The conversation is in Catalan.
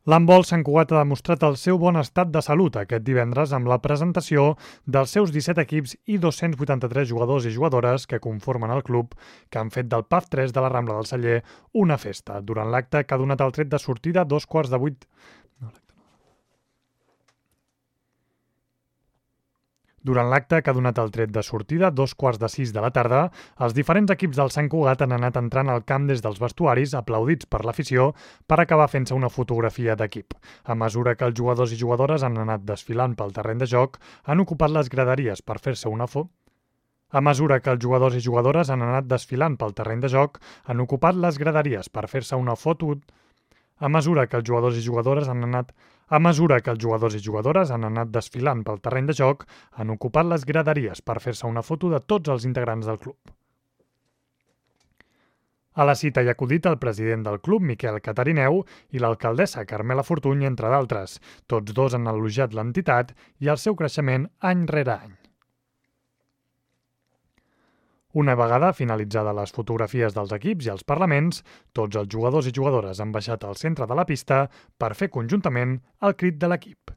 L'handbol Sant Cugat ha demostrat el seu bon estat de salut aquest divendres amb la presentació dels seus 17 equips i 283 jugadors i jugadores que conformen el club, que han fet del PAF 3 de la Rambla del Celler una festa, durant l'acte que ha donat el tret de sortida a 7:45. Durant l'acte que ha donat el tret de sortida a 5:45 de la tarda, els diferents equips del Sant Cugat han anat entrant al camp des dels vestuaris, aplaudits per l'afició, per acabar fent-se una fotografia d'equip. A mesura que els jugadors i jugadores han anat desfilant pel terreny de joc, han ocupat les graderies per fer-se una foto. A mesura que els jugadors i jugadores han anat desfilant pel terreny de joc, han ocupat les graderies per fer-se una foto. A mesura que els jugadors i jugadores han anat desfilant pel terreny de joc, han ocupat les graderies per fer-se una foto de tots els integrants del club. A la cita hi ha acudit el president del club, Miquel Catarineu, i l'alcaldessa Carmela Fortuny, entre d'altres. Tots dos han elogiat l'entitat i el seu creixement any rere any. Una vegada finalitzades les fotografies dels equips i els parlaments, tots els jugadors i jugadores han baixat al centre de la pista per fer conjuntament el crit de l'equip.